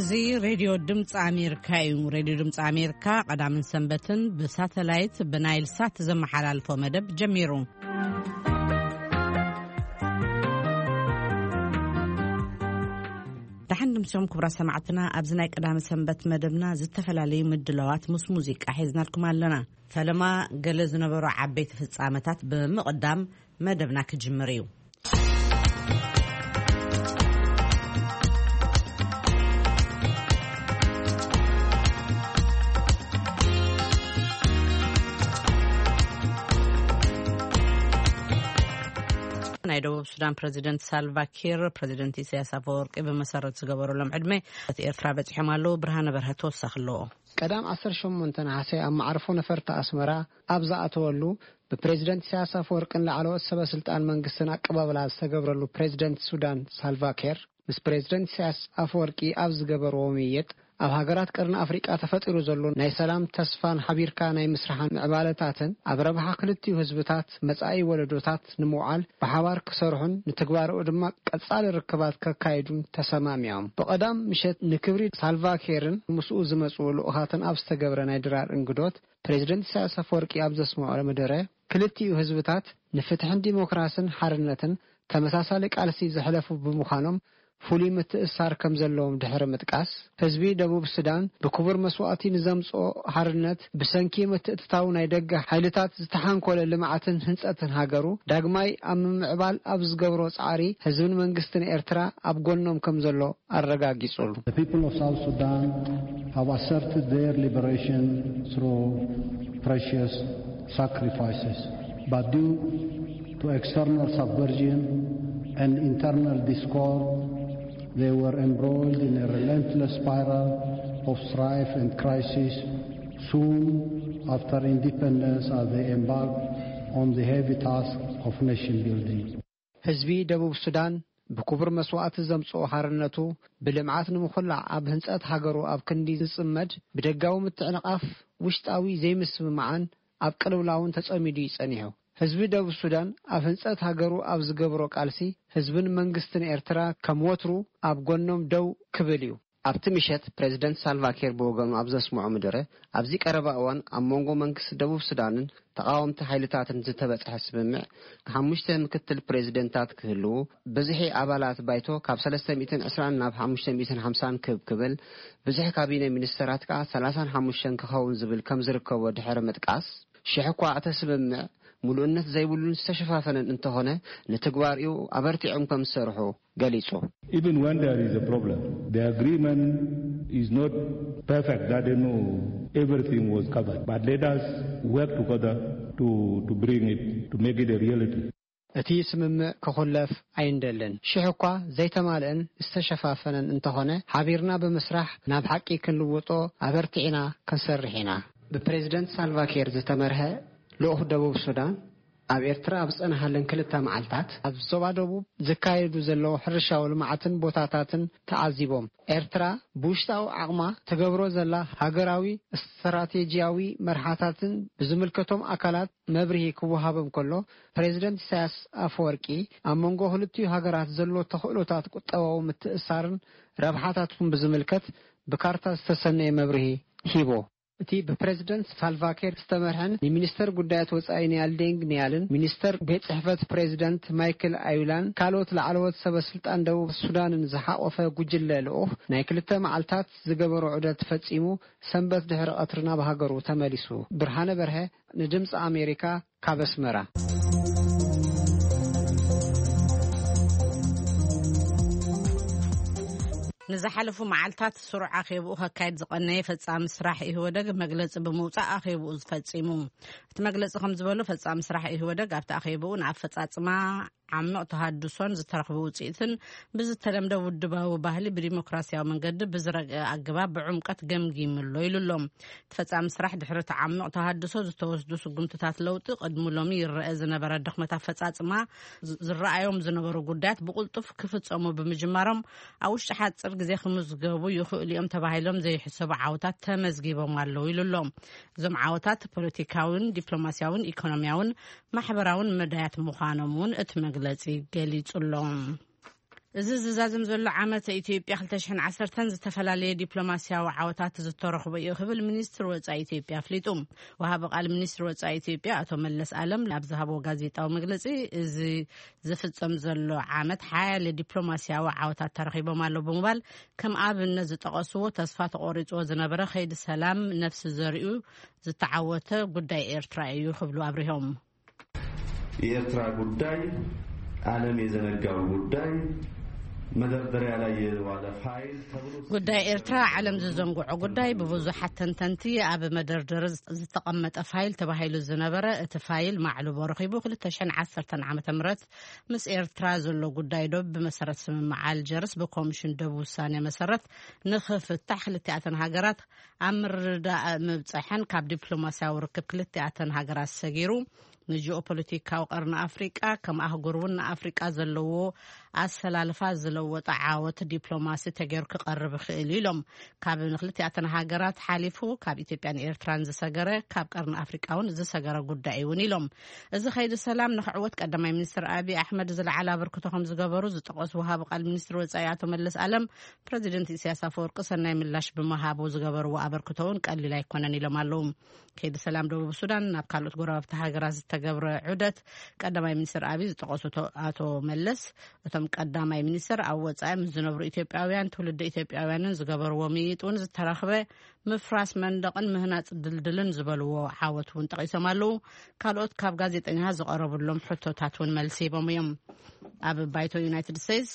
እዚ ሬድዮ ድምፂ ኣሜሪካ እዩ። ሬድዮ ድምፂ ኣሜሪካ ቀዳምን ሰንበትን ብሳተላይት ብናይል ሳት ዘመሓላልፎ መደብ ጀሚሩ። ደሓን ድምሶም ክቡራ ሰማዕትና፣ ኣብዚ ናይ ቀዳሚ ሰንበት መደብና ዝተፈላለዩ ምድላዋት ምስ ሙዚቃ ሒዝናልኩም ኣለና። ፈለማ ገለ ዝነበሩ ዓበይቲ ፍጻመታት ብምቕዳም መደብና ክጅምር እዩ። ናይ ደቡብ ሱዳን ፕረዚደንት ሳልቫ ኪር ፕረዚደንት ኢሳያስ ኣፈወርቂ ብመሰረት ዝገበረሎም ዕድመ እቲ ኤርትራ በጺሖም ኣለዉ። ብርሃነ በርሀ ተወሳኺ ኣለዎ። ቀዳም ዓሰርተ ሸሞንተ ነሓሰ ኣብ መዓርፎ ነፈርቲ ኣስመራ ኣብ ዝኣተወሉ፣ ብፕሬዚደንት ኢሳያስ ኣፈወርቅን ላዕለዎት ሰበ ስልጣን መንግስትን ኣቀባብላ ዝተገብረሉ ፕሬዚደንት ሱዳን ሳልቫ ኪር፣ ምስ ፕሬዚደንት ኢሳያስ ኣፈወርቂ ኣብ ዝገበርዎ ምይይጥ፣ ኣብ ሃገራት ቀርኒ ኣፍሪቃ ተፈጢሩ ዘሎ ናይ ሰላም ተስፋን ሓቢርካ ናይ ምስራሕን ምዕባለታትን ኣብ ረብሓ ክልቲኡ ህዝብታት መጻኢ ወለዶታት ንምውዓል ብሓባር ክሰርሑን ንትግባረኡ ድማ ቀጻሊ ርክባት ከካይዱን ተሰማሚዖም። ብቐዳም ምሸት ንክብሪ ሳልቫ ኪርን ምስኡ ዝመጽኡ ልኡኻትን ኣብ ዝተገብረ ናይ ድራር እንግዶት፣ ፕሬዚደንት ኢሳያስ ኣፈወርቂ ኣብ ዘስምዖ መደረ፣ ክልቲኡ ህዝብታት ንፍትሕን ዲሞክራስን ሓርነትን ተመሳሳሊ ቃልሲ ዘሕለፉ ብምዃኖም ፍሉይ ምትእስሳር ከም ዘለዎም ድሕሪ ምጥቃስ፣ ህዝቢ ደቡብ ሱዳን ብክቡር መስዋእቲ ንዘምጽኦ ሓርነት ብሰንኪ ምትእትታው ናይ ደገ ሓይልታት ዝተሓንኮለ ልምዓትን ህንጸትን ሃገሩ ዳግማይ ኣብ ምምዕባል ኣብ ዝገብሮ ጻዕሪ ህዝብን መንግስትን ኤርትራ ኣብ ጎኖም ከም ዘሎ ኣረጋጊጹሉ። The people of South Sudan have asserted their liberation through precious sacrifices, but due to external subversion and internal discord, they were embroiled in a relentless spiral of strife and crisis. Soon after independence, as they embarked on the heavy task of nation building. ህዝቢ ደቡብ ሱዳን ብክቡር መስዋእቲ ዘምጽኦ ሓርነቱ ብልምዓት ንምኹላዕ ኣብ ህንጸት ሃገሩ ኣብ ክንዲ ዝጽመድ፣ ብደጋዊ ምትዕንቓፍ ውሽጣዊ ዘይምስምማዕን ኣብ ቅልውላውን ተጸሚዱ እዩ ጸኒሑ። ህዝቢ ደቡብ ሱዳን ኣብ ህንጸት ሃገሩ ኣብ ዝገብሮ ቃልሲ፣ ህዝብን መንግስትን ኤርትራ ከም ወትሩ ኣብ ጎኖም ደው ክብል እዩ። ኣብቲ ምሸት ፕሬዚደንት ሳልቫ ኪር ብወገኑ ኣብ ዘስምዖ መደረ፣ ኣብዚ ቀረባ እዋን ኣብ መንጎ መንግስቲ ደቡብ ሱዳንን ተቓወምቲ ሓይልታትን ዝተበጽሐ ስምምዕ፣ ሓሙሽተ ምክትል ፕሬዚደንታት ክህልዉ፣ ብዝሒ ኣባላት ባይቶ ካብ ሰለስተ ሚእትን ዕስራን ናብ ሓሙሽተ ሚእትን ሓምሳን ክብ ክብል፣ ብዝሒ ካቢነ ሚኒስተራት ከኣ ሰላሳን ሓሙሽተን ክኸውን ዝብል ከም ዝርከቦ ድሕሪ ምጥቃስ፣ ሽሕ እኳ እቲ ስምምዕ ምሉእነት ዘይብሉን ዝተሸፋፈነን እንተኾነ፣ ንትግባሪኡ ኣበርቲዖም ከም ዝሰርሑ ገሊጹ። Even when there is a problem, the agreement is not perfect, that they know everything was covered. But let us work together to, to bring it, to make it a reality. እቲ ስምምዕ ክኹለፍ ኣይንደልን። ሽሕ እኳ ዘይተማልአን ዝተሸፋፈነን እንተኾነ፣ ሓቢርና ብምስራሕ ናብ ሓቂ ክንልውጦ ኣበርቲዕና ክንሰርሕ ኢና። ብፕሬዚደንት ሳልቫኪር ዝተመርሐ ልኡኽ ደቡብ ሱዳን ኣብ ኤርትራ ኣብ ዝጸንሃለን ክልተ መዓልታት፣ ኣብ ዞባ ደቡብ ዝካየዱ ዘለዉ ሕርሻዊ ልምዓትን ቦታታትን ተዓዚቦም። ኤርትራ ብውሽጣዊ ዓቕማ ትገብሮ ዘላ ሃገራዊ ስትራቴጂያዊ መርሓታትን ብዝምልከቶም ኣካላት መብርሂ ክወሃቦም ከሎ፣ ፕሬዚደንት ኢሳያስ ኣፈወርቂ ኣብ መንጎ ክልቲኡ ሃገራት ዘሎ ተኽእሎታት ቁጠባዊ ምትእስሳርን ረብሓታቱን ብዝምልከት ብካርታ ዝተሰነየ መብርሂ ሂቦ። እቲ ብፕሬዚደንት ሳልቫኪር ዝተመርሐን ንሚኒስተር ጉዳያት ወጻኢ ኒያል ዴንግ ኒያልን፣ ሚኒስተር ቤት ጽሕፈት ፕሬዚደንት ማይክል ኣዩላን ካልኦት ላዕለዎት ሰበ ስልጣን ደቡብ ሱዳንን ዝሓቖፈ ጉጅለ ልኡኽ ናይ ክልተ መዓልታት ዝገበሮ ዑደት ፈጺሙ ሰንበት ድሕሪ ቀትሪ ናብ ሃገሩ ተመሊሱ። ብርሃነ በርሀ ንድምፂ ኣሜሪካ ካብ ኣስመራ። ንዝሓለፉ መዓልታት ስሩዕ ኣኼብኡ ከካይድ ዝቐነየ ፈጻሚ ስራሕ ኢህወደግ መግለጺ ብምውጻእ ኣኼብኡ ዝፈጺሙ። እቲ መግለጺ ከም ዝበሎ፣ ፈጻሚ ስራሕ ኢህወደግ ኣብቲ ኣኼብኡ ንኣፈጻጽማ ዓሚቕ ተሃድሶን ዝተረኽበ ውጽኢትን ብዝተለምደ ውድባዊ ባህሊ ብዲሞክራሲያዊ መንገዲ ብዝረግአ ኣገባብ ብዕምቀት ገምጊሙ ኣሎ ኢሉ ኣሎ። እቲ ፈጻሚ ስራሕ ድሕሪ እቲ ዓሚቕ ተሃድሶ ዝተወስዱ ስጉምትታት ለውጢ፣ ቅድሚ ሎሚ ይረአ ዝነበረ ድኽመት ኣፈጻጽማ፣ ዝ-፣ ዝረኣዮም ዝነበሩ ጉዳያት ብቕልጡፍ ክፍጸሙ ብምጅማሮም፣ ኣብ ውሽጢ ሓጺር ግዜ ክምዝገቡ ይኽእሉ እዮም ተባሂሎም ዘይሕሰቡ ዓወታት ተመዝጊቦም ኣለዉ ኢሉ ኣሎ። እዞም ዓወታት ፖለቲካውን፣ ዲፕሎማስያውን፣ ኢኮኖሚያውን፣ ማሕበራውን መዳያት ምዃኖም እውን እቲ መግለጺ ገሊጹ ኣሎ። እዚ ዝዛዘም ዘሎ ዓመት ኢትዮጵያ ክልተ ሽሕን ዓሰርተን ዝተፈላለየ ዲፕሎማስያዊ ዓወታት ዝተረኽቦ እዩ ክብል ሚኒስትር ወጻኢ ኢትዮጵያ ኣፍሊጡ። ወሃቢ ቃል ሚኒስትር ወጻኢ ኢትዮጵያ ኣቶ መለስ ኣለም ኣብ ዝሃቦ ጋዜጣዊ መግለጺ፣ እዚ ዝፍጸም ዘሎ ዓመት ሓያለ ዲፕሎማስያዊ ዓወታት ተረኺቦም ኣሎ ብምባል፣ ከም ኣብነት ዝጠቐስዎ፣ ተስፋ ተቖሪጽዎ ዝነበረ ከይዲ ሰላም ነፍሲ ዘሪኡ ዝተዓወተ ጉዳይ ኤርትራ እዩ ክብሉ ኣብሪሆም። የኤርትራ ጉዳይ ዓለም የዘነጋው ጉዳይ፣ መደርደሪያ ላይ የዋለ ፋይል ተብሎ ጉዳይ ኤርትራ ዓለም ዝዘንግዖ ጉዳይ፣ ብብዙሓት ተንተንቲ ኣብ መደርደሪ ዝተቐመጠ ፋይል ተባሂሉ ዝነበረ፣ እቲ ፋይል ማዕልቦ ረኺቡ። ክልተ ሽሕን ዓሰርተን ዓመተ ምህረት ምስ ኤርትራ ዘሎ ጉዳይ ዶብ ብመሰረት ስምምዕ ኣልጀርስ ብኮሚሽን ዶብ ውሳኔ መሰረት ንኽፍታሕ ክልቲኣተን ሃገራት ኣብ ምርድዳእ ምብጸሐን፣ ካብ ዲፕሎማስያዊ ርክብ ክልቲኣተን ሃገራት ሰጊሩ ንጂኦፖለቲካዊ ቀርኒ ኣፍሪቃ፣ ከም ኣህጉር እውን ንኣፍሪቃ ዘለዎ ኣሰላልፋ ዝለወጠ ዓወት ዲፕሎማሲ ተገይሩ ክቐርብ ይኽእል እዩ ኢሎም። ካብ ንክልቲኣተን ሃገራት ሓሊፉ ካብ ኢትዮጵያን ኤርትራን ዝሰገረ፣ ካብ ቀርኒ ኣፍሪቃ እውን ዝሰገረ ጉዳይ እውን ኢሎም። እዚ ከይዲ ሰላም ንክዕወት ቀዳማይ ሚኒስትር ኣብይ ኣሕመድ ዝለዓለ ኣበርክቶ ከም ዝገበሩ ዝጠቐሱ ወሃቢ ቃል ሚኒስትር ወጻኢ ኣቶ መለስ ኣለም፣ ፕረዚደንት ኢሳያስ ኣፈወርቂ ሰናይ ምላሽ ብምሃቡ ዝገበርዎ ኣበርክቶ እውን ቀሊል ኣይኮነን ኢሎም ኣለዉ። ከይዲ ሰላም ደቡብ ሱዳን ናብ ካልኦት ጎረባብቲ ሃገራት ዝተገብረ ዑደት ቀዳማይ ሚኒስትር ኣብይ ዝጠቐሱ ቶ-፣ ኣቶ መለስ፣ እቶም ቀዳማይ ሚኒስትር ኣብ ወጻኢ ምስ ዝነብሩ ኢትዮጵያውያን፣ ትውልዲ ኢትዮጵያውያንን ዝገበርዎ ምይይጥ እውን ዝተረኽበ ምፍራስ መንደቕን ምህናጽ ድልድልን ዝበልዎ ዓወት እውን ጠቒሶም ኣለዉ። ካልኦት ካብ ጋዜጠኛታት ዝቐረቡሎም ሕቶታት እውን መልሲ ሂቦም እዮም። ኣብ ባይቶ ዩናይትድ ስቴትስ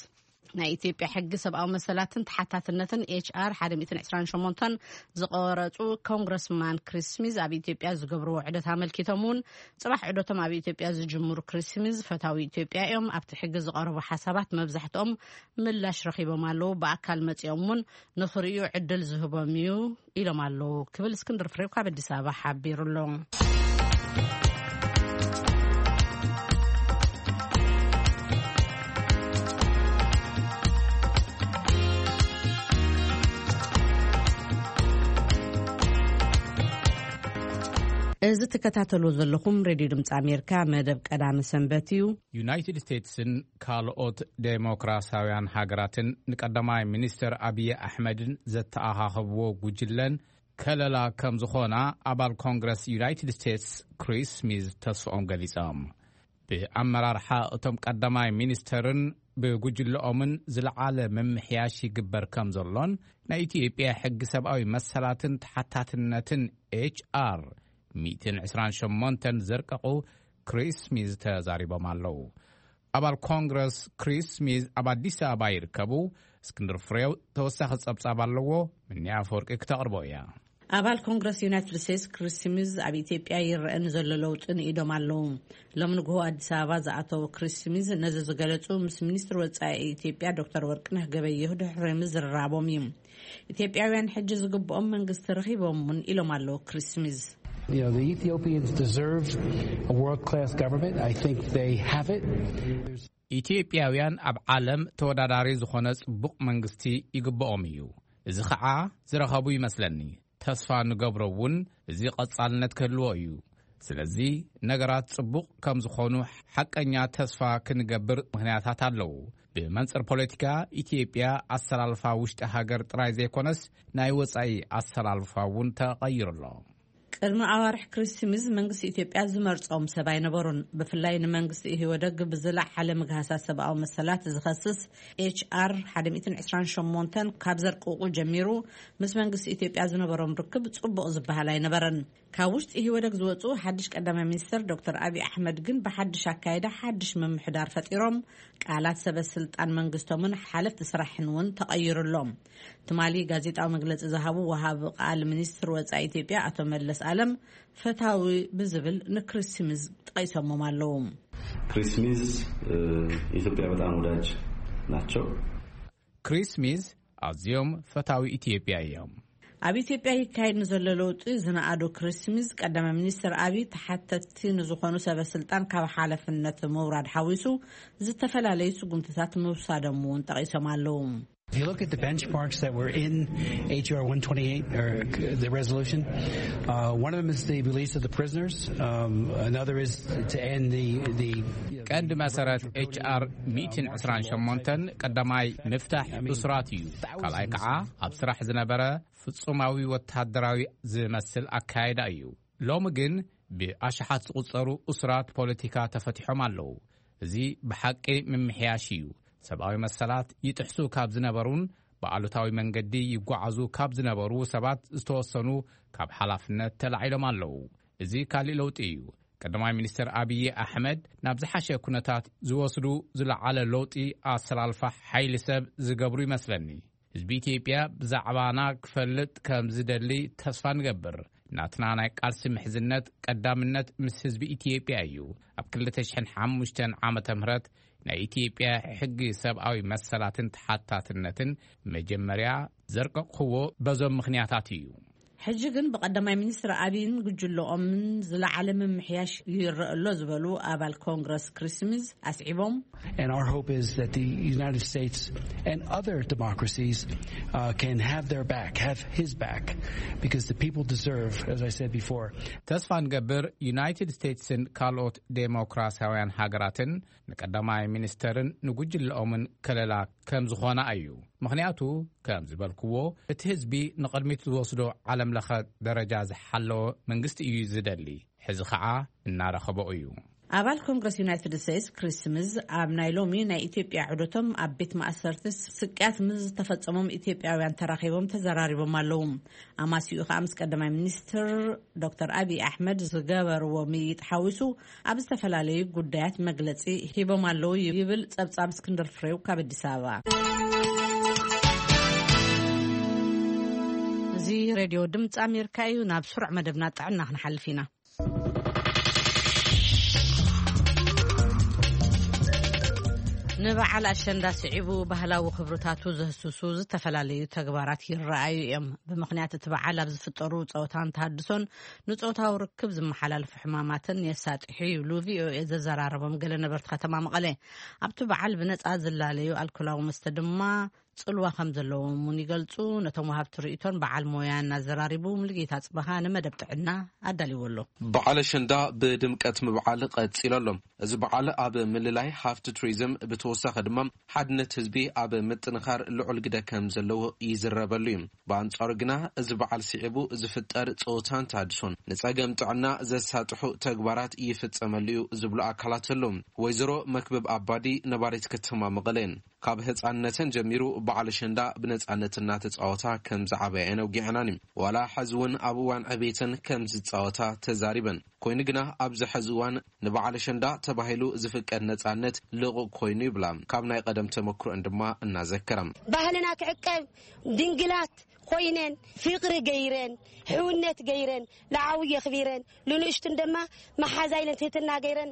ናይ ኢትዮጵያ ሕጊ ሰብኣዊ መሰላትን ተሓታትነትን ኤች ኣር ሓደ ሚእትን ዕስራን ሸሞንተን ዝቐረጹ ኮንግረስማን ክሪስ ስሚዝ ኣብ ኢትዮጵያ ዝገብርዎ ዑደት ኣመልኪቶም እውን፣ ጽባሕ ዑደቶም ኣብ ኢትዮጵያ ዝጅምሩ ክሪስ ስሚዝ ፈታዊ ኢትዮጵያ እዮም። ኣብቲ ሕጊ ዝቐረቡ ሓሳባት መብዛሕትኦም ምላሽ ረኺቦም ኣለዉ። ብኣካል መጺኦም እውን ንኽርእዩ ዕድል ዝህቦም እዩ ኢሎም ኣለዉ ክብል እስክንድር ፍሬው ካብ ኣዲስ ኣበባ ሓቢሩ ኣሎ። እዚ ትከታተሉ ዘለኹም ሬድዮ ድምፂ ኣሜሪካ መደብ ቀዳሚ ሰንበት እዩ። ዩናይትድ ስቴትስን ካልኦት ዴሞክራሲያውያን ሃገራትን ንቀዳማይ ሚኒስትር ኣብይ ኣሕመድን ዘተኣኻኸብዎ ጉጅለን ከለላ ከም ዝኾና ኣባል ኮንግረስ ዩናይትድ ስቴትስ ክሪስ ስሚዝ ተስፍኦም ገሊጾም። ብኣመራርሓ እቶም ቀዳማይ ሚኒስተርን ብጉጅለኦምን ዝለዓለ ምምሕያሽ ይግበር ከም ዘሎን ናይ ኢትዮጵያ ሕጊ ሰብኣዊ መሰላትን ተሓታትነትን ኤች ኣር ሚእትን ዕስራን ሸሞንተን ዘርቀቑ ክሪስ ስሚዝ ተዛሪቦም ኣለዉ። ኣባል ኮንግረስ ክሪስ ስሚዝ ኣብ ኣዲስ ኣበባ ይርከቡ። እስክንድር ፍሬው ተወሳኺ ጸብጻብ ኣለዎ። ምንያ ኣፈወርቂ ክተቕርቦ እያ። ኣባል ኮንግረስ ዩናይትድ ስቴትስ ክሪስ ስሚዝ ኣብ ኢትዮጵያ ይረአ ንዘሎ ለውጢ ንኢዶም ኣለዉ። ሎም ንግሆ ኣዲስ ኣበባ ዝኣተው ክሪስ ስሚዝ ነዚ ዝገለጹ ምስ ሚኒስትር ወጻኢ ኢትዮጵያ ዶክተር ወርቅነህ ገበየሁ ድሕሪ ምዝርራቦም እዩ። ኢትዮጵያውያን ሕጂ ዝግብኦም መንግስቲ ረኺቦም እውን ኢሎም ኣለዉ ክሪስ ስሚዝ። You know, the Ethiopians deserve a world class government. I think they have it. ኢትዮጵያውያን ኣብ ዓለም ተወዳዳሪ ዝኾነ ጽቡቕ መንግስቲ ይግብኦም እዩ። እዚ ኸዓ ዝረኸቡ ይመስለኒ። ተስፋ ንገብሮ እውን እዚ ቐጻልነት ክህልዎ እዩ። ስለዚ ነገራት ጽቡቕ ከም ዝኾኑ ሓቀኛ ተስፋ ክንገብር ምኽንያታት ኣለዉ። ብመንጽር ፖለቲካ ኢትዮጵያ ኣሰላልፋ ውሽጢ ሃገር ጥራይ ዘይኮነስ ናይ ወጻኢ ኣሰላልፋ እውን ተቐይሩ ኣሎ። ቅድሚ ኣዋርሕ ክሪስ ስሚዝ መንግስቲ ኢትዮጵያ ዝመርጾም ሰብ ኣይነበሩን። ብፍላይ ንመንግስቲ ኢህወደግ ብዝለዓለ ምግሃሳት ሰብኣዊ መሰላት ዝኸስስ ኤች ኣር ሓደ ሚእትን ዕስራን ሸሞንተን ካብ ዘርቅቑ ጀሚሩ ምስ መንግስቲ ኢትዮጵያ ዝነበሮም ርክብ ጽቡቕ ዝበሃል ኣይነበረን። ካብ ውሽጢ ኢህወደግ ዝወጹ ሓድሽ ቀዳማይ ሚኒስትር ዶክተር ኣብይ ኣሕመድ ግን ብሓድሽ ኣካይዳ ሓድሽ ምምሕዳር ፈጢሮም ቃላት ሰበ ስልጣን መንግስቶምን ሓለፍቲ ስራሕን እውን ተቐይሩሎም። ትማሊ ጋዜጣዊ መግለጺ ዝሃቡ ወሃቢ ቃል ሚኒስትር ወጻኢ ኢትዮጵያ ኣቶ መለስ ኣለም ፈታዊ ብዝብል ንክሪስ ስሚዝ ጠቒሶሞም ኣለዉ። ክሪስ ስሚዝ የኢትዮጵያ በጣም ወዳጅ ናቸው። ክሪስ ስሚዝ ኣዝዮም ፈታዊ ኢትዮጵያ እዮም። ኣብ ኢትዮጵያ ይካየድ ንዘሎ ለውጢ ዝነኣዱ ክሪስ ስሚዝ ቀዳማይ ሚኒስትር ኣብይ ተሓተትቲ ንዝኾኑ ሰበ ስልጣን ካብ ሓለፍነት ምውራድ ሓዊሱ ዝተፈላለዩ ስጉምትታት ምውሳዶም እውን ጠቒሶም ኣለዉ። If you look at the benchmarks that were in H R one twenty-eight, or the resolution, uh, one of them is the release of the prisoners. Um, another is to end the, the ቀንዲ መሰረት ኤች ኣር ሚእትን ዕስራን ሸሞንተን ቀዳማይ ምፍታሕ እሱራት እዩ። ካልኣይ ከዓ ኣብ ስራሕ ዝነበረ ፍጹማዊ ወተሃደራዊ ዝመስል ኣካያይዳ እዩ። ሎሚ ግን ብኣሽሓት ዝቑጸሩ እሱራት ፖለቲካ ተፈቲሖም ኣለዉ። እዚ ብሓቂ ምምሕያሽ እዩ። ሰብኣዊ መሰላት ይጥሕሱ ካብ ዝነበሩን ብኣሉታዊ መንገዲ ይጓዓዙ ካብ ዝነበሩ ሰባት ዝተወሰኑ ካብ ሓላፍነት ተላዒሎም ኣለዉ። እዚ ካልእ ለውጢ እዩ። ቀዳማይ ሚኒስትር ኣብይ ኣሕመድ ናብ ዝሓሸ ኩነታት ዝወስዱ ዝለዓለ ለውጢ ኣሰላልፋ ሓይሊ ሰብ ዝገብሩ ይመስለኒ። ህዝቢ ኢትዮጵያ ብዛዕባና ክፈልጥ ከም ዝደሊ ተስፋ ንገብር። ናትና ናይ ቃልሲ ምሕዝነት ቀዳምነት ምስ ህዝቢ ኢትዮጵያ እዩ። ኣብ ክልተ ሽሕን ሓሙሽተን ዓመተ ምህረት ናይ ኢትዮጵያ ሕጊ ሰብኣዊ መሰላትን ተሓታትነትን መጀመርያ ዘርቀቕኽዎ በዞም ምኽንያታት እዩ። ሕጂ ግን ብቀዳማይ ሚኒስትር ኣብይን ጉጅለኦምን ዝለዓለ ምምሕያሽ ይረአ ኣሎ ዝበሉ ኣባል ኮንግረስ ክሪስ ስሚዝ ኣስዒቦም፣ And our hope is that the United States and other democracies uh, can have their back, have his back, because the people deserve, as I said before. ተስፋ ንገብር ዩናይትድ ስቴትስን ካልኦት ዴሞክራሲያውያን ሃገራትን ንቀዳማይ ሚኒስተርን ንጉጅለኦምን ከለላ ከም ዝኾና እዩ። ምኽንያቱ ከም ዝበልክዎ እቲ ህዝቢ ንቕድሚት ዝወስዶ ዓለም ለኸ ደረጃ ዝሓለወ መንግስቲ እዩ ዝደሊ። ሕዚ ኸዓ እናረኸቦ እዩ። ኣባል ኮንግረስ ዩናይትድ ስቴትስ ክሪስ ስሚዝ ኣብ ናይ ሎሚ ናይ ኢትዮጵያ ዑደቶም ኣብ ቤት ማእሰርቲ ስቅያት ምስ ዝተፈጸሞም ኢትዮጵያውያን ተራኺቦም ተዘራሪቦም ኣለዉ። ኣማሲኡ ኸኣ ምስ ቀዳማይ ሚኒስትር ዶክተር ኣብይ ኣሕመድ ዝገበርዎ ምይይጥ ሓዊሱ ኣብ ዝተፈላለዩ ጉዳያት መግለጺ ሂቦም ኣለዉ ይብል ጸብጻብ እስክንድር ፍሬው ካብ ኣዲስ ኣበባ። እዚ ሬድዮ ድምፂ ኣሜሪካ እዩ። ናብ ስሩዕ መደብና ጥዕና ክንሓልፍ ኢና። ንበዓል ኣሸንዳ ስዒቡ ባህላዊ ክብርታቱ ዘህስሱ ዝተፈላለዩ ተግባራት ይረኣዩ እዮም። ብምኽንያት እቲ በዓል ኣብ ዝፍጠሩ ጸወታን ተሃድሶን ንጾታዊ ርክብ ዝመሓላለፉ ሕማማትን የሳጥሑ ይብሉ ቪኦኤ ዘዘራረቦም ገለ ነበርቲ ከተማ መቐለ። ኣብቲ በዓል ብነጻ ዝላለዩ ኣልኮላዊ መስተ ድማ ጽልዋ ከም ዘለዎም እውን ይገልጹ። ነቶም ወሃብቲ ርእይቶን በዓል ሞያን ኣዘራሪቡ ሙሉጌታ ጽበኻ ንመደብ ጥዕና ኣዳልዎ ኣሎ። በዓል ኣሸንዳ ብድምቀት ምብዓል ቀጺሉ ኣሎ። እዚ በዓል ኣብ ምልላይ ሃፍቲ ቱሪዝም ብተወሳኺ ድማ ሓድነት ህዝቢ ኣብ ምጥንኻር ልዑል ግደ ከም ዘለዎ ይዝረበሉ እዩ። ብኣንጻሩ ግና እዚ በዓል ስዒቡ ዝፍጠር ጸወታን ተሃድሶን ንጸገም ጥዕና ዘሳጥሑ ተግባራት ይፍጸመሉ እዩ ዝብሉ ኣካላት ኣለዉ። ወይዘሮ መክብብ ኣባዲ ነባሪት ከተማ መቐለ እየን። ካብ ህጻንነተን ጀሚሩ በዓል ኣሸንዳ ብነጻነት እናተጻወታ ከም ዝዓበያ እየን ኣውጊዐናኒ። ዋላ ሕዚ እውን ኣብ እዋን ዕቤተን ከም ዝጻወታ ተዛሪበን። ኮይኑ ግና ኣብዚ ሕዚ እዋን ንበዓል ኣሸንዳ ተባሂሉ ዝፍቀድ ነጻነት ልቑቕ ኮይኑ ይብላ። ካብ ናይ ቀደም ተመክሮአን ድማ እናዘከራ። ባህልና ክዕቀብ ድንግላት ኮይነን ፍቕሪ ገይረን ሕውነት ገይረን ንዓብዪ የኽቢረን ንንእሽቱን ድማ መሓዛ ኢለን ትህትና ገይረን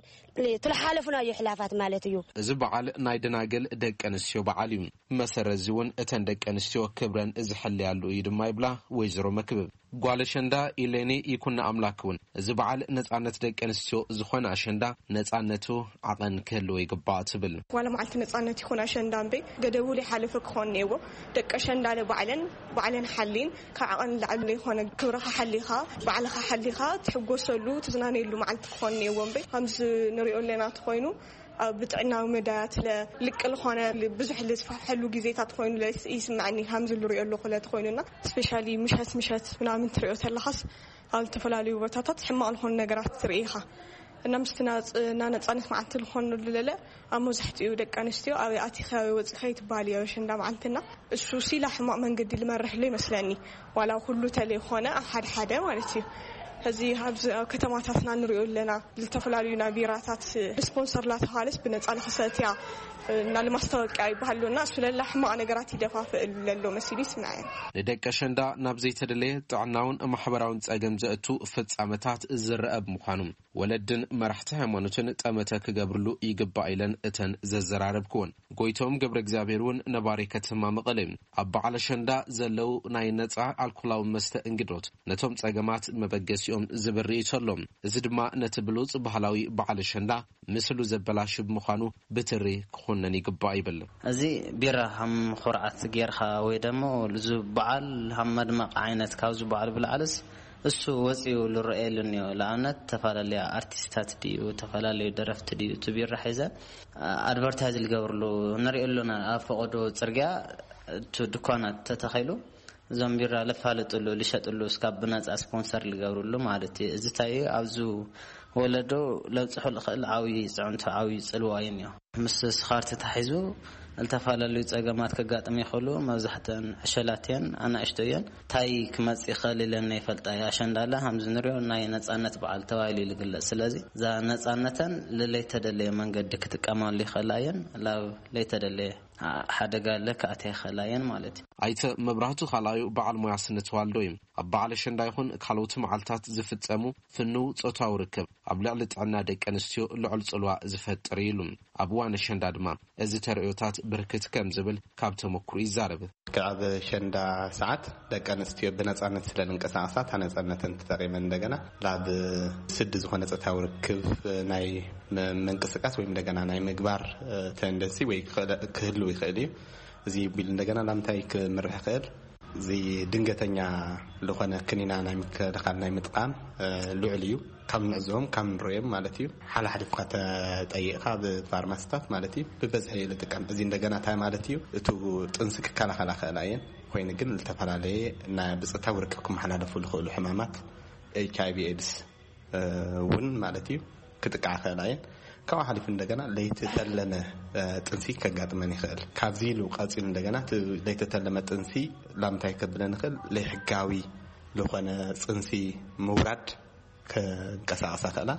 ትልሓለፉናዮ ሕላፋት ማለት እዩ። እዚ በዓል ናይ ደናግል ደቂ ኣንስትዮ በዓል እዩ። መሰረት እዚ እውን እተን ደቂ ኣንስትዮ ክብረን ዝሕለያሉ እዩ ድማ ይብላ ወይዘሮ መክብብ። ጓል ኣሸንዳ ኢሌኒ ይኩን ኣምላክ እውን እዚ በዓል ነጻነት ደቂ ኣንስትዮ ዝኾነ ኣሸንዳ ነጻነቱ ዓቐን ክህልዎ ይግባእ ትብል። ዋላ መዓልቲ ነጻነት ይኹን ኣሸንዳ እምበይ ገደቡ ዘይሓለፈ ክኾን እኒአዎ። ደቂ ኣሸንዳ ባዕለን ባዕለን ሓሊን ካብ ዓቐን ንላዕሊ ዘይኮነ ክብርኻ ሓሊኻ ባዕልኻ ሓሊኻ ትሕጎሰሉ ትዝናነየሉ መዓልቲ ክኾን እኒአዎ እምበይ ከምዚ ንሪኦ ኣለና ተኾይኑ ኣብ ብጥዕናዊ መዳያት ለ ልቅ ዝኾነ ብዙሕ ልስፋሕፈሐሉ ግዜታት ኮይኑ ለ ይስምዐኒ። ከምዚ ንሪኦ ኣለኹ ለ ተኾይኑና ስፔሻሊ ምሸት ምሸት ምናምን ትሪኦ ተለኻስ ኣብ ዝተፈላለዩ ቦታታት ሕማቕ ዝኾኑ ነገራት ትርኢ ኢኻ። እና ምስቲ ናጽ- እና ነጻነት መዓልቲ ዝኾኑ ለለ ኣብ መብዛሕትኡ ደቂ ኣንስትዮ ኣበይ ኣቲኻ ኣበይ ወጺኻ ይትበሃል እዩ ኣሸንዳ መዓልትና። እሱ ሲላ ሕማቕ መንገዲ ልመርሕሉ ይመስለኒ። ዋላ ኩሉ ተለይኮነ ኣብ ሓደ ሓደ ማለት እዩ። ሕዚ ኣብዚ ኣብ ከተማታትና ንሪኦ ኣለና። ዝተፈላለዩ ናይ ቢራታት ስፖንሰር ላተባሃለስ ብነጻ ንኽሰትያ እና ልማስታወቂያ ይበሃል ኣሎ እና እሱ ለላ ሕማቕ ነገራት ይደፋፍእ ለሎ መሲሉ ይስምዐን። ንደቂ ኣሸንዳ ናብ ዘይተደለየ ጥዕናውን ማሕበራውን ጸገም ዘእቱ ፍጻመታት ዝረአ ብምዃኑ ወለድን መራሕቲ ሃይማኖትን ጠመተ ክገብርሉ ይግባእ ኢለን እተን ዘዘራረብክወን። ጎይቶም ገብረ እግዚኣብሔር እውን ነባሪ ከተማ መቐለ እዩ። ኣብ በዓል ኣሸንዳ ዘለዉ ናይ ነፃ ኣልኮላዊ መስተ እንግዶት ነቶም ጸገማት መበገሲኦም ዝብል ርእይቶ ኣሎ። እዚ ድማ ነቲ ብሉጽ ባህላዊ በዓል ኣሸንዳ ምስሉ ዘበላሹ ብምዃኑ ብትሪ ክኹነን ይግባእ ይብል። እዚ ቢራ ሃም ኩርዓት ጌርካ ወይ ደሞ እዚ በዓል ሃም መድመቕ ዓይነት ካብዚ በዓል ብላዕልስ እሱ ወፂኡ ዝረኣየሉ እኒኦ። ንኣብነት ተፈላለያ ኣርቲስታት ድዩ፣ ተፈላለዩ ደረፍቲ ድዩ እቲ ቢራ ሒዘ ኣድቨርታይዝ ዝገብርሉ ንሪኦ ኣለና። ኣብ ፈቐዶ ፅርግያ እቲ ድኳናት ተተኺሉ እዞም ቢራ ለፋልጥሉ ልሸጥሉ እስካብ ብነፃ ስፖንሰር ልገብርሉ ማለት እዩ። እዚ እንታይ እዩ ኣብዚ ወለዶ ለብፅሑ ልኽእል ዓብዪ ፅዕንቶ ዓብዪ ፅልዋ እዩ እኒኦ። ምስ ስኻር ተታሒዙ ዝተፈላለዩ ፀገማት ከጋጥም ይኽእሉ። መብዛሕተን ዕሸላት እየን፣ ኣናእሽቶ እየን። እንታይ ክመፅእ ይኽእል ኢለን ናይ ፈልጣ እየ። ኣሸንዳ ለ ከምዚ ንሪኦ ናይ ነፃነት በዓል ተባሂሉ እዩ ዝግለፅ። ስለዚ እዛ ነፃነተን ልለይተደለየ መንገዲ ክጥቀማሉ ይኽእላ እየን። ላብ ለይተደለየ ሓደጋ ለክኣተ ይኽእላ እየን ማለት እዩ። ኣይተ መብራህቱ ካልኣዩ በዓል ሞያ ስነ ተዋልዶ እዩ። ኣብ በዓል ኣሸንዳ ይኹን ካልኦት መዓልታት ዝፍጸሙ ፍንው ጾታዊ ርክብ ኣብ ልዕሊ ጥዕና ደቂ ኣንስትዮ ልዑል ጽልዋ ዝፈጥር እዩ ኢሉ። ኣብ እዋን ኣሸንዳ ድማ እዚ ተርእዮታት ብርክት ከም ዝብል ካብ ተመክሮ ይዛረብ። ኣብ ኣሸንዳ ሰዓት ደቂ ኣንስትዮ ብነጻነት ስለ ዝንቀሳቐሳ እታ ነጻነተን ተጠቒመን እንደገና ናብ ስዲ ዝኾነ ጾታዊ ርክብ ናይ ም- ምንቅስቃስ ወይም እንደገና ናይ ምግባር ተንደንሲ ወይ ክህልው ይኽእል እዩ። እዚ ቢል እንደገና ናብ እንታይ ክምርሕ ይኽእል? እዚ ድንገተኛ ዝኾነ ክኒና ናይ ምክልኻል ናይ ምጥቃም ልዑል እዩ። ካብ ንዕዞም ካብ ንርእዮም ማለት እዩ። ሓላሓሊፍካ ተጠይቕካ ብፋርማስታት ማለት እዩ ብበዝሒ ልጥቀም። እዚ እንደገና እንታይ ማለት እዩ? እቱ ጥንሲ ክከላኸላ ክእላ እየን። ኮይኑ ግን ዝተፈላለየ ናይ ብፅታዊ ርክብ ክመሓላለፉ ዝኽእሉ ሕማማት ኤች ኣይ ቪ ኤድስ እውን ማለት እዩ ክጥቃዓ ክእላ እየን። ካብኡ ሓሊፉ እንደገና ለይተተለመ ጥንሲ ከጋጥመን ይኽእል። ካብዚ ኢሉ ቀፂሉ እንደገና ለይተተለመ ጥንሲ ላምታይ ከብለን ይኽእል? ለይሕጋዊ ዝኾነ ጥንሲ ምውራድ ከንቀሳቐሳ ክእላ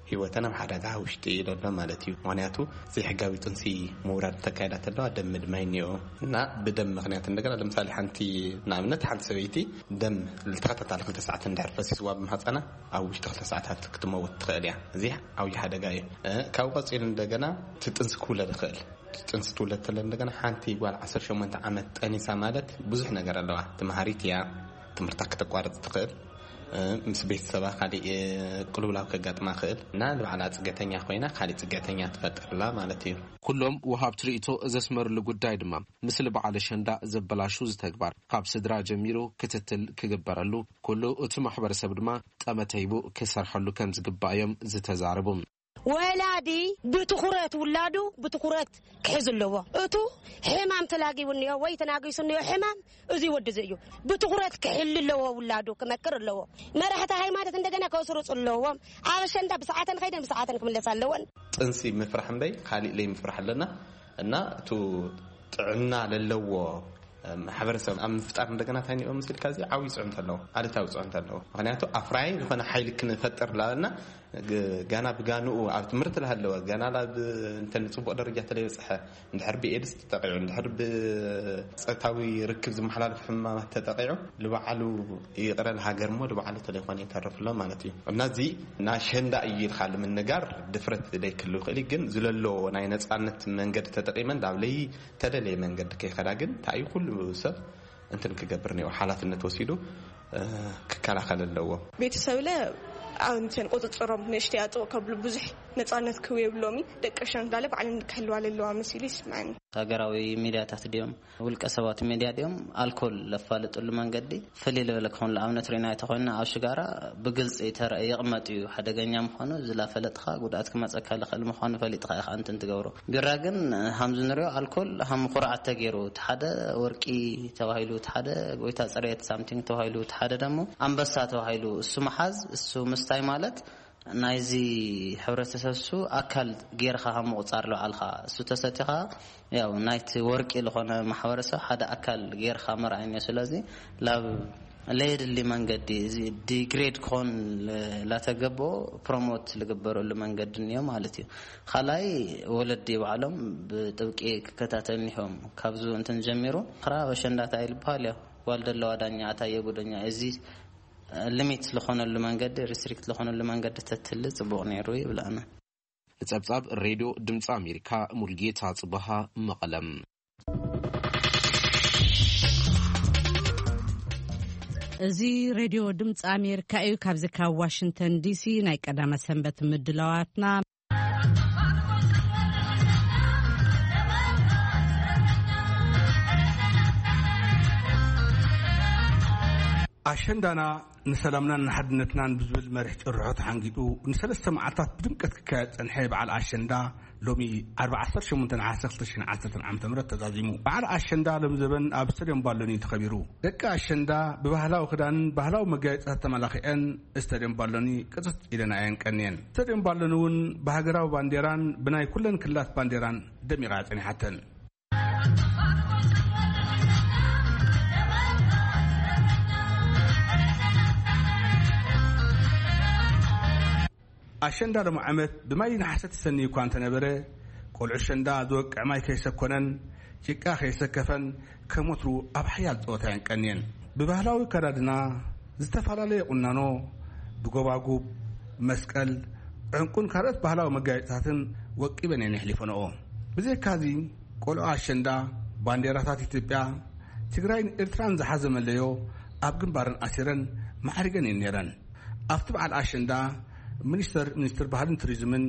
ህይወተን ኣብ ሓደጋ ውሽጢ እዩ ዘሎ ማለት እዩ። ምክንያቱ ዘይሕጋዊ ጥንሲ ምውራድ ተካይዳ ተለዋ ደም ምድማይ እኒኦ እና ብደም ምክንያት እንደገና ለምሳሌ ሓንቲ ንኣብነት ሓንቲ ሰበይቲ ደም ልተኸታታሊ ክልተ ሰዓት እንድሕር ፈሲስዋ ብማህፀና ኣብ ውሽጢ ክልተ ሰዓታት ክትመውት ትኽእል እያ። እዚ ዓብዪ ሓደጋ እዩ። ካብ ቀፂሉ እንደገና እቲ ጥንሲ ክውለድ ይኽእል። ጥንሲ ትውለድ ተለ እንደገና ሓንቲ ጓል ዓሰርተ ሸሞንተ ዓመት ጠኒሳ ማለት ብዙሕ ነገር ኣለዋ። ተምሃሪት እያ። ትምህርታ ክተቋርፅ ትኽእል። ምስ ቤተሰባ ካሊእ ቅልውላው ከጋጥማ ክእል እና ንባዕላ ፅገተኛ ኮይና ካሊእ ፅገተኛ ትፈጥርላ ማለት እዩ። ኩሎም ወሃብቲ ርእቶ ዘስመርሉ ጉዳይ ድማ ምስሊ በዓል ኣሸንዳ ዘበላሹ ዝተግባር ካብ ስድራ ጀሚሩ ክትትል ክግበረሉ ኩሉ እቲ ማሕበረሰብ ድማ ጠመተ ሂቡ ክሰርሐሉ ከም ዝግባእ እዮም ዝተዛረቡ። ወላዲ ብትኹረት ውላዱ ብትኹረት ክሕዝ ኣለዎ። እቱ ሕማም ተላጊቡ እኒኦ ወይ ተናጊሱ እኒኦ ሕማም እዚ ወዲ እዚ እዩ። ብትኹረት ክሕል ኣለዎ፣ ውላዱ ክመክር ኣለዎ። መራሕቲ ሃይማኖት እንደገና ከስርፁ ኣለዎም። ኣብ ኣሸንዳ ብሰዓተን ከይደን ብሰዓተን ክምለስ ኣለወን። ጥንሲ ምፍራሕ እምበይ ካሊእ ለይ ምፍራሕ ኣለና እና እቱ ጥዕና ለለዎ ማሕበረሰብ ኣብ ምፍጣር እንደገና እንታይ ንኦ ምስልካ እዚ ዓብዪ ፅዕንቶ ኣለዎ፣ ኣሉታዊ ፅዕንቶ ኣለዎ። ምክንያቱ ኣፍራይ ዝኾነ ሓይሊ ክንፈጥር ላበልና ግ- ጋና ብጋንኡ ኣብ ትምህርቲ ላሃለወ ጋና ላብ እንተ ንፅቡቅ ደረጃ ተለይበፅሐ እንድሕር ብኤድስ ተጠቂዑ እንድሕር ብፀታዊ ርክብ ዝመሓላለፍ ሕማማት ተጠቂዑ ልባዕሉ ይቕረ ሃገር እሞ ልባዕሉ ተለይኮነ ይተርፍሎ ማለት እዩ። እና እዚ ናሸንዳ እዩ ኢልካ ንምንጋር ድፍረት ዘይክሉ ይኽእል እዩ። ግን ዝለሎ ናይ ነፃነት መንገዲ ተጠቂመን ላብ ለይ ተደለየ መንገዲ ከይኸዳ ግን እንታይ እዩ ኩሉ ሰብ እንትን ክገብር እኒኦ ሓላፍነት ወሲዱ ክከላኸል ኣለዎ። ቤተሰብለ ኣንትን ቁፅፅሮም ንእሽተይ ኣጥቕ ከብሉ ብዙሕ ነፃነት ክህቡ የብሎሚ። ደቂ ሸንዳለ ባዕለን ክህልዋ ለለዋ መሲሉ ይስምዐኒ። ሃገራዊ ሚድያታት ድዮም ውልቀ ሰባት ሚድያ ድዮም ኣልኮል ለፋልጥሉ መንገዲ ፍልይ ልበለ ክኾን ንኣብነት ርኢና ተኮይንና ኣብ ሽጋራ ብግልፂ ተረእ ይቕመጥ እዩ ሓደገኛ ምዃኑ ዝላፈለጥኻ ጉድኣት ክመፀካ ልኽእል ምዃኑ ፈሊጥኻ ኢኻ እንትን ትገብሮ። ቢራ ግን ሃምዚ ንሪኦ ኣልኮል ሃም ኩርዓት ተገይሩ እቲ ሓደ ወርቂ ተባሂሉ እቲ ሓደ ጎይታ ፅሬት ሳምቲንግ ተባሂሉ እቲ ሓደ ደሞ ኣንበሳ ተባሂሉ እሱ መሓዝ እሱ ምስታይ ማለት ናይዚ ሕብረተሰብ እሱ ኣካል ጌርካ ካብ ምቁፃር ልባዕልካ እሱ ተሰቲኻ ያው ናይቲ ወርቂ ዝኾነ ማሕበረሰብ ሓደ ኣካል ጌርካ መርኣይ እኒኦ። ስለዚ ላብ ለየድሊ መንገዲ እዚ ዲግሬድ ክኾን ላተገበኦ ፕሮሞት ልግበረሉ መንገዲ እኒኦ ማለት እዩ። ካልኣይ ወለዲ ባዕሎም ብጥብቂ ክከታተል እኒሆም ካብዚ እንትን ጀሚሩ ክራ በሸንዳታ ይልበሃል እዮ ጓል ደለዋ ዳኛ ኣታየ ጉደኛ እዚ ሊሚት ዝኾነሉ መንገዲ፣ ሪስትሪክት ዝኾነሉ መንገዲ ተትህሉ ጽቡቕ ነይሩ ይብል ኣነ። ንጸብጻብ ሬድዮ ድምጺ ኣሜሪካ፣ ሙልጌታ ጽበሃ፣ መቐለም። እዚ ሬድዮ ድምፂ ኣሜሪካ እዩ። ካብዚ ካብ ዋሽንግተን ዲሲ ናይ ቀዳመ ሰንበት ምድላዋትና። ኣሸንዳና ንሰላምናን ንሓድነትናን ብዝብል መሪሕ ጭርሖ ተሓንጊጡ ንሰለስተ መዓልታት ብድምቀት ክካየድ ጸንሐ በዓል ኣሸንዳ ሎሚ ዓርቢ ዓሰርተ ሸሞንተ ነሓሰ ክልተ ሽሕን ዓሰርተን ዓመተ ምህረት ተዛዚሙ። በዓል ኣሸንዳ ሎሚ ዘበን ኣብ ስታድዮም ባሎኒ ተኸቢሩ። ደቂ ኣሸንዳ ብባህላዊ ክዳንን ባህላዊ መጋየፅታት ተመላኺዐን ስታድዮም ባሎኒ ቅፅት ኢለን እየን ቀንየን። ስታድዮም ባሎኒ እውን ብሃገራዊ ባንዴራን ብናይ ኩለን ክልላት ባንዴራን ደሚቓ እያ ጸኒሓተን። ኣሸንዳ ሎሚ ዓመት ብማይ ነሓሰ ተሰንዩ እኳ እንተነበረ፣ ቆልዑ ኣሸንዳ ዝወቅዕ ማይ ከይሰኮነን ጭቃ ከይሰከፈን ከም ወትሩ ኣብ ሓያል ጸወታ እየን ቀንየን። ብባህላዊ ኣከዳድና ዝተፈላለየ ቁናኖ፣ ብጎባጉብ፣ መስቀል፣ ዕንቁን ካልኦት ባህላዊ መጋየፅታትን ወቂበን እየን የሕሊፈንኦ። ብዘይካዚ ቆልዑ ኣሸንዳ ባንዴራታት ኢትዮጵያ፣ ትግራይን ኤርትራን ዝሓዘ መለዮ ኣብ ግንባረን ኣሲረን ማዕሪገን እየን ነይረን። ኣብቲ በዓል ኣሸንዳ ሚኒስተር ሚኒስትር ባህልን ቱሪዝምን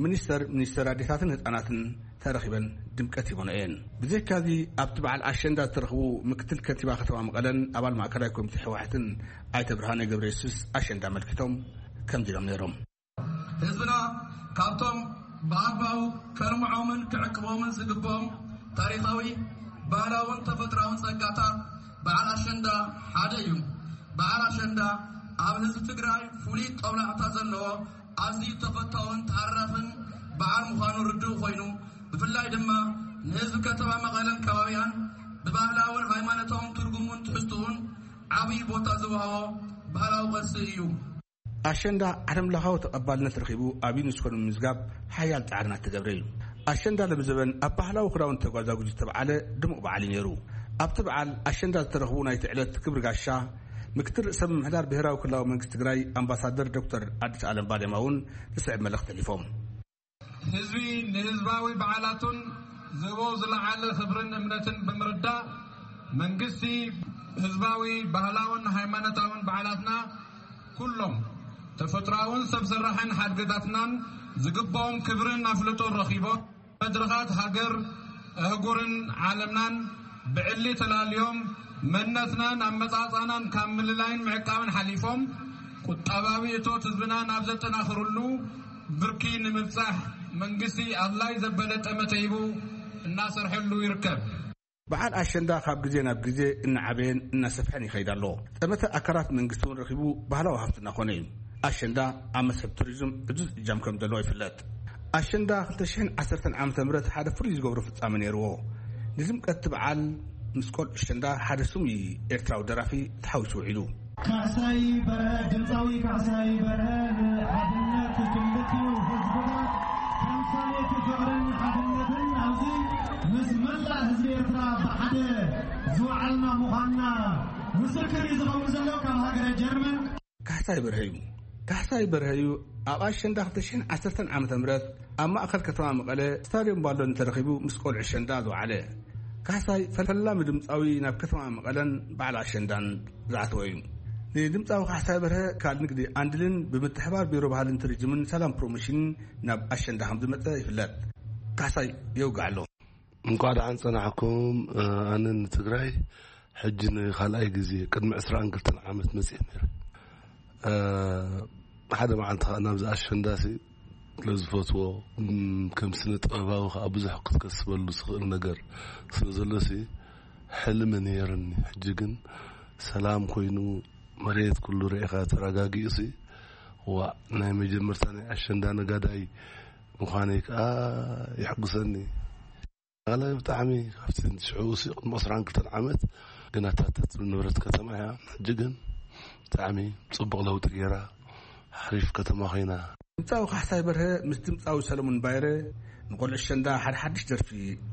ሚኒስተር ሚኒስተር ኣዴታትን ህፃናትን ተረኺበን ድምቀት ሂበንኦ እየን። ብዘይካዚ ኣብቲ በዓል ኣሸንዳ ዝተረኽቡ ምክትል ከንቲባ ከተማ መቐለን ኣባል ማእከላይ ኮሚቴ ህወሓትን ኣይተ ብርሃነ ገብረየሱስ ኣሸንዳ ኣመልኪቶም ከምዚ ኢሎም ነይሮም። ህዝብና ካብቶም ብኣግባቡ ከልምዖምን ክዕቅቦምን ዝግብኦም ታሪኻዊ፣ ባህላውን ተፈጥሮኣውን ጸጋታት በዓል ኣሸንዳ ሓደ እዩ። በዓል ኣሸንዳ ኣብ ህዝቢ ትግራይ ፍሉይ ጦብላሕታ ዘለዎ ኣዝዩ ተፈታውን ተሃራፍን በዓል ምዃኑ ርዱእ ኮይኑ፣ ብፍላይ ድማ ንህዝቢ ከተማ መቐለን ከባቢኣን ብባህላውን ሃይማኖታውን ትርጉሙን ትሕዝትኡን ዓብዪ ቦታ ዝወሃቦ ባህላዊ ቅርሲ እዩ። ኣሸንዳ ዓለምለኻዊ ተቐባልነት ረኺቡ ኣብ ዩኔስኮ ንምምዝጋብ ሓያል ጻዕርና እትገብረ እዩ። ኣሸንዳ ለምዘበን ኣብ ባህላዊ ክዳውንቲ ተጓዛጉዙ ዝተበዓለ ድሙቕ በዓል እዩ ነይሩ። ኣብቲ በዓል ኣሸንዳ ዝተረኽቡ ናይቲ ዕለት ክብሪ ጋሻ ምክትል ርእሰ ምምሕዳር ብሔራዊ ክልላዊ መንግስቲ ትግራይ ኣምባሳደር ዶክተር ኣዲስ ኣለም ባሌማ እውን ዝስዕብ መልእኽቲ ኣሕሊፎም። ህዝቢ ንህዝባዊ በዓላቱን ዝህቦ ዝለዓለ ክብርን እምነትን ብምርዳእ፣ መንግስቲ ህዝባዊ ባህላውን ሃይማኖታውን በዓላትና ኩሎም ተፈጥሮኣውን ሰብ ሰራሕን ሓድግታትናን ዝግብኦም ክብርን ኣፍልጦን ረኺቦም፣ መድረኻት ሃገር፣ ኣህጉርን ዓለምናን ብዕሊ ተላልዮም፣ መንነትናን ኣመጻጽኣናን ካብ ምልላይን ምዕቃብን ሓሊፎም፣ ቁጠባዊ እቶት ህዝብና ናብ ዘጠናኽርሉ ብርኪ ንምብጻሕ መንግስቲ ኣድላይ ዘበለ ጠመተ ሂቡ እናሰርሐሉ ይርከብ። በዓል ኣሸንዳ ካብ ግዜ ናብ ግዜ እናዓበየን እናሰፍሐን ይኸይድ ኣሎ። ጠመተ ኣካላት መንግስቲ እውን ረኺቡ ባህላዊ ሃፍቲ እናኾነ እዩ። ኣሸንዳ ኣብ መስሕብ ቱሪዝም ዕዙዝ እጃም ከም ዘለዎ ይፍለጥ። ኣሸንዳ ክልተ ሽሕን ዓሰርተን ዓመተ ምህረት ሓደ ፍሉይ ዝገብሮ ፍጻመ ነይርዎ። ንድምቀት እቲ በዓል ምስ ቆልዑ ኣሸንዳ ሓደ ስሙይ ኤርትራዊ ደራፊ ተሓዊሱ ውዒሉ። ካሕሳይ በርሀ፣ ድምፃዊ ካሕሳይ በርሀ ንሓድነት ክልቲኡ ህዝብታት ተምሳሌት ፍቕርን ሓድነትን ኣብዚ ምስ መላእ ህዝቢ ኤርትራ ብሓደ ዝወዓልና ምዃንና ምስክር እዩ ዝኸውን ዘሎ ካብ ሃገረ ጀርመን። ካሕሳይ በርሀ እዩ። ካሕሳይ በርሀ እዩ ኣብ ኣሸንዳ ክልተ ሽሕን ዓሰርተን ዓመተ ምህረት ኣብ ማእከል ከተማ መቐለ ስታድዮም ባሎኒ ተረኺቡ ምስ ቆልዑ ኣሸንዳ ዝወዓለ። ካሕሳይ ፈላሚ ድምፃዊ ናብ ከተማ መቐለን በዓል ኣሸንዳን ዝኣተወ እዩ። ንድምፃዊ ካሕሳይ በርሀ ካል ንግዲ ኣንድልን ብምትሕባር ቢሮ ባህልን ቱሪዝምን ሰላም ፕሮሞሽንን ናብ ኣሸንዳ ከም ዝመፀ ይፍለጥ። ካሕሳይ የውግዕ ኣሎ። እንኳዕ ደሓን ጸናሕኩም። ኣነ ንትግራይ ሕጂ ንኻልኣይ ግዜ ቅድሚ ዕስራን ክልተን ዓመት መጽየ ነይረ። ሓደ መዓልቲ ኸዓ ናብዚ ኣሸንዳሲ ስለዝፈትዎ፣ ም፣ ከም ስነ ጥበባዊ ኸዓ ብዙሕ ክትከስበሉ ዝኽእል ነገር ስለ ዘሎሲ ሕልሚ ነይርኒ። ሕጂ ግን ሰላም ኮይኑ መሬት ኩሉ ርኢኻ ተረጋጊኡሲ፣ ዋእ፣ ናይ መጀመርታ ናይ ኣሸንዳ ነጋዳይ ምዃነይ ከኣ የሕጉሰኒ። ኣነ ብጣዕሚ ካብቲ ሽዑ ሲ ቅድሚ ዕስራን ክልተን ዓመት ግን ኣታተት ንብረት ከተማ እያ። ሕጂ ግን ብጣዕሚ ጽቡቕ ለውጢ ገይራ፣ ሓሪፍ ከተማ ኮይና። ድምጻዊ ካሕሳይ በርሀ ምስ ድምጻዊ ሰለሙን ባይረ ንቆልዑ ኣሸንዳ ሓደ ሓድሽ ደርፊ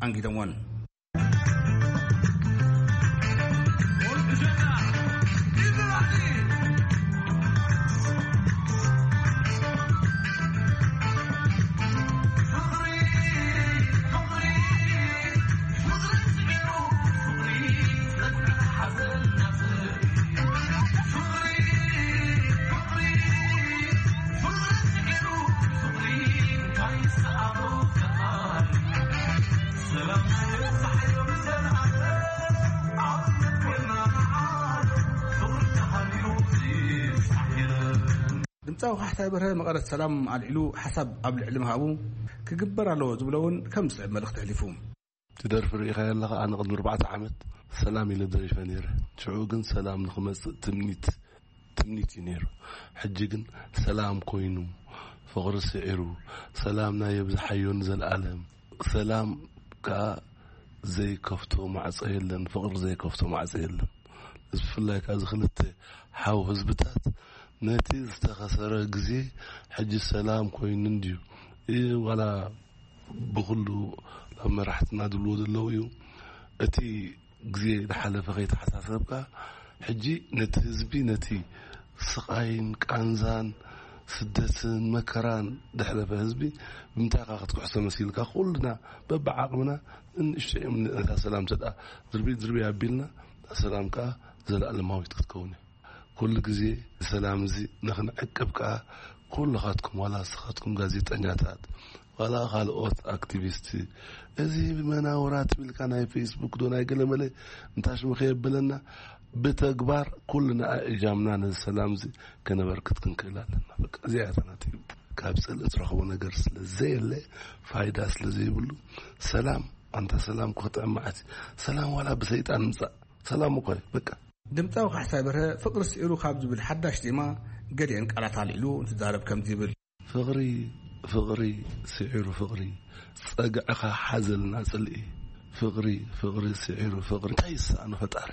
ኣንጊዶምወን። ድምፃዊ ካሕሳይ በርሀ መቐረት ሰላም ኣልዒሉ ሓሳብ ኣብ ልዕሊ ምሃቡ፣ ክግበር ኣለዎ ዝብሎ እውን ከም ዝስዕብ መልእኽቲ ኣሕሊፉ። ትደርፊ ርኢኻ ኣለኻ? ኣነ ቅድሚ ኣርባዕተ ዓመት ሰላም ኢለ ደሪፈ ነይረ። ሽዑ ግን ሰላም ንኽመጽእ ትምኒት ትምኒት እዩ ነይሩ። ሕጂ ግን ሰላም ኮይኑ፣ ፍቕሪ ስዒሩ፣ ሰላም ናይ የብዝሓዮ ንዘለኣለም። ሰላም ከኣ ዘይከፍቶ ማዕጾ የለን፣ ፍቕሪ ዘይከፍቶ ማዕጾ የለን። እዚ ብፍላይ ከኣ እዚ ክልተ ሓው ህዝብታት ነቲ ዝተኸሰረ ግዜ ሕጂ ሰላም ኮይኑ እንድዩ። እ፣ ዋላ ብኹሉ ኣብ መራሕትና ዝብልዎ ዘለዉ እዩ። እቲ ግዜ ዝሓለፈ ከይተሓሳሰብካ፣ ሕጂ ነቲ ህዝቢ፣ ነቲ ስቓይን ቃንዛን ስደትን መከራን ዘሕለፈ ህዝቢ ብምንታይ ኢኻ ክትክሕሶ መሲልካ? ኩልና በብዓቕምና ንእሽቶ እዮም ነታ ሰላም ተደኣ ዝርብይ ዝርብይ ኣቢልና፣ እታ ሰላም ከኣ ዘለኣለማዊት ክትከውን እያ። ኩሉ ግዜ ሰላም እዚ ንኽንዕቅብ ከኣ ኩልኻትኩም፣ ዋላ ንስኻትኩም ጋዜጠኛታት፣ ዋላ ካልኦት ኣክቲቪስት፣ እዚ መናውራ ትብልካ ናይ ፌስቡክ ዶ ናይ ገለመለ እንታሽሙ ከየብለና፣ ብተግባር ኩልና እጃምና ነዚ ሰላም እዚ ከነበርክት ክንክእል ኣለና። በቃ እዚኣ እያ እታ ናተይ። ካብ ጽልኢ ትረኽቦ ነገር ስለ ዘየለ፣ ፋይዳ ስለ ዘይብሉ፣ ሰላም፣ ኣንታ ሰላም እኮ ጥዕም መዓት እዩ። ሰላም ዋላ ብሰይጣን ምጻእ፣ ሰላም እኮ እዩ። በቃ። ድምፃዊ ካሕሳይ በርሀ ፍቕሪ ስዒሩ ካብ ዝብል ሓዳሽ ዜማ ገሊአን ቃላት ኣልዒሉ እንትዛረብ ከምዚ ይብል። ፍቕሪ፣ ፍቕሪ ስዒሩ ፍቕሪ፣ ጸግዕኻ ሓዘልና ጽልኢ። ፍቕሪ፣ ፍቕሪ ስዒሩ ፍቕሪ፣ እንታይ ይሰኣኖ ፈጣሪ?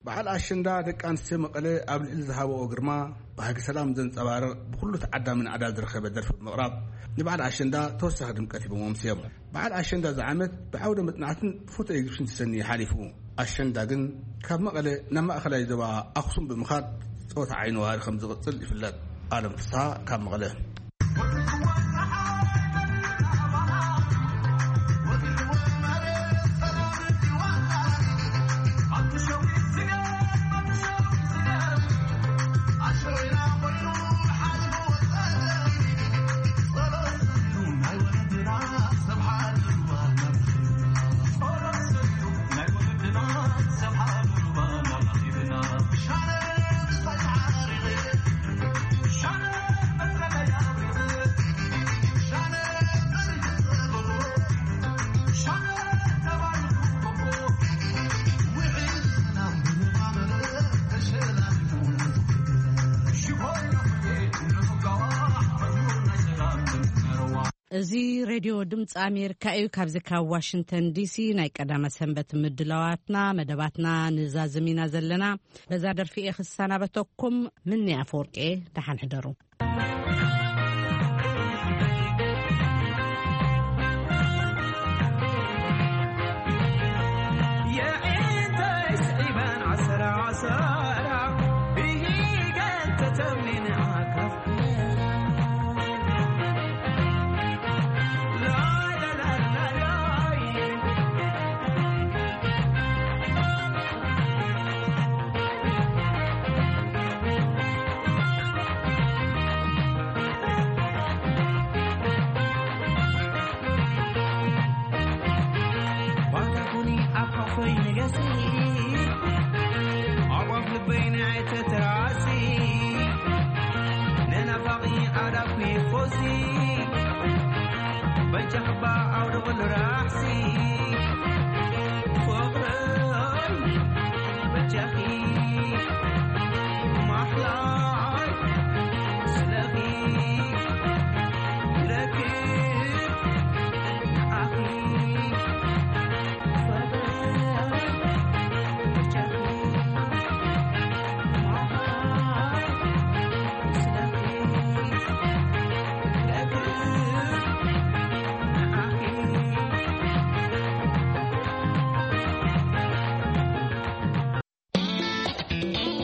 በዓል ኣሸንዳ ደቂ ኣንስትዮ መቐለ ኣብ ልዕሊ ዝሃበኦ ግርማ፣ ባህጊ ሰላም ዘንጸባርቕ፣ ብኹሉ ተዓዳሚ ናዕዳ ዝረኸበ ደርፊ ብምቕራብ፣ ንበዓል ኣሸንዳ ተወሳኺ ድምቀት ሂቦም ኣምስዮም። በዓል ኣሸንዳ እዚ ዓመት ብዓውደ መጽናዕትን ፎቶ ኤግዚቢሽን ተሰንዩ ሓሊፉ። ኣሸንዳ ግን ካብ መቐለ ናብ ማእኸላይ ዞባ ኣኽሱም ብምኻድ ጸወታ ዓይኒ ዋሪ ከም ዝቕጽል ይፍለጥ። ኣለም ፍስሃ ካብ መቐለ። እዚ ሬድዮ ድምፂ ኣሜሪካ እዩ። ካብዚ ካብ ዋሽንግተን ዲሲ ናይ ቀዳመ ሰንበት ምድላዋትና፣ መደባትና ንዛዝም ኢና ዘለና። በዛ ደርፊ እየ ክሰናበተኩም። ምኒ ኣፈወርቂ እየ። ደሓን ሕደሩ።